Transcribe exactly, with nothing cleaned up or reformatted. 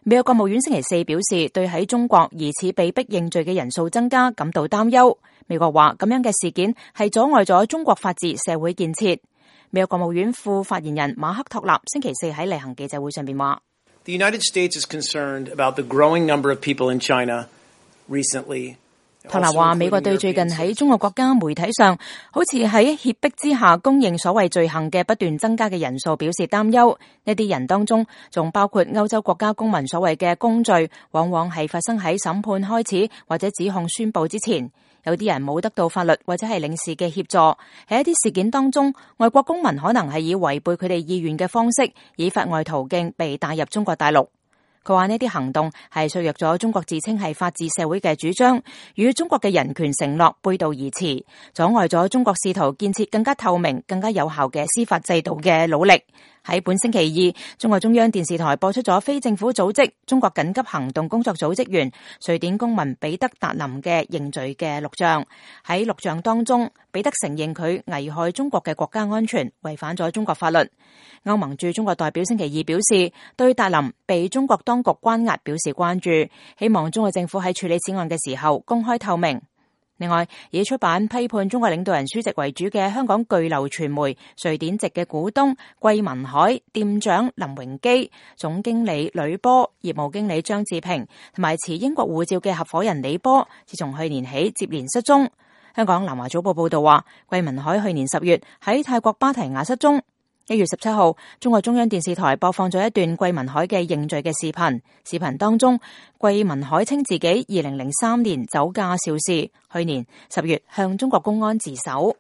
美國國務院星期四表示，對喺中國疑似被逼認罪嘅人數增加感到擔憂。美國話咁樣嘅事件係阻礙咗中國法治社會建設。美國國務院副發言人馬克托納星期四喺例行記者會上邊話 The United States is concerned about the growing number of people in China recently。托納話，美國對最近喺中國國家媒體上好似喺脅迫之下公認所謂罪行嘅不斷增加嘅人數表示擔憂。呢啲人當中仲包括歐洲國家公民所謂嘅公罪，往往係發生喺審判開始或者指控宣佈之前。有啲人冇得到法律或者係領事嘅協助，喺一啲事件當中，外國公民可能係以違背佢哋意願嘅方式，以法外途徑被帶入中國大陸。佢話呢啲行動係削弱咗中國自稱係法治社會嘅主張，與中國嘅人權承諾背道而馳，阻礙咗中國試圖建設更加透明、更加有效嘅司法制度嘅努力。喺本星期二，中國中央電視台播出咗非政府組織中國緊急行動工作組職員瑞典公民彼得達林嘅認罪嘅錄像。喺錄像當中，彼得承認佢危害中國嘅國家安全，違反咗中國法律。歐盟駐中國代表星期二表示，對達林被中國當局關押表示關注，希望中國政府喺處理此案嘅時候公開透明。另外，以出版批判中國領導人書籍為主嘅香港巨流傳媒瑞典籍嘅股東桂民海、店長林榮基、總經理呂波、業務經理張志平同埋持英國護照嘅合夥人李波，自從去年起接連失蹤。香港南華早報報道話，桂民海去年十月喺泰國芭提雅失蹤。一月十七號，中國中央電視台播放咗一段桂民海嘅認罪嘅視頻。視頻當中，桂民海稱自己二零零三年酒駕肇事，去年十月向中國公安自首。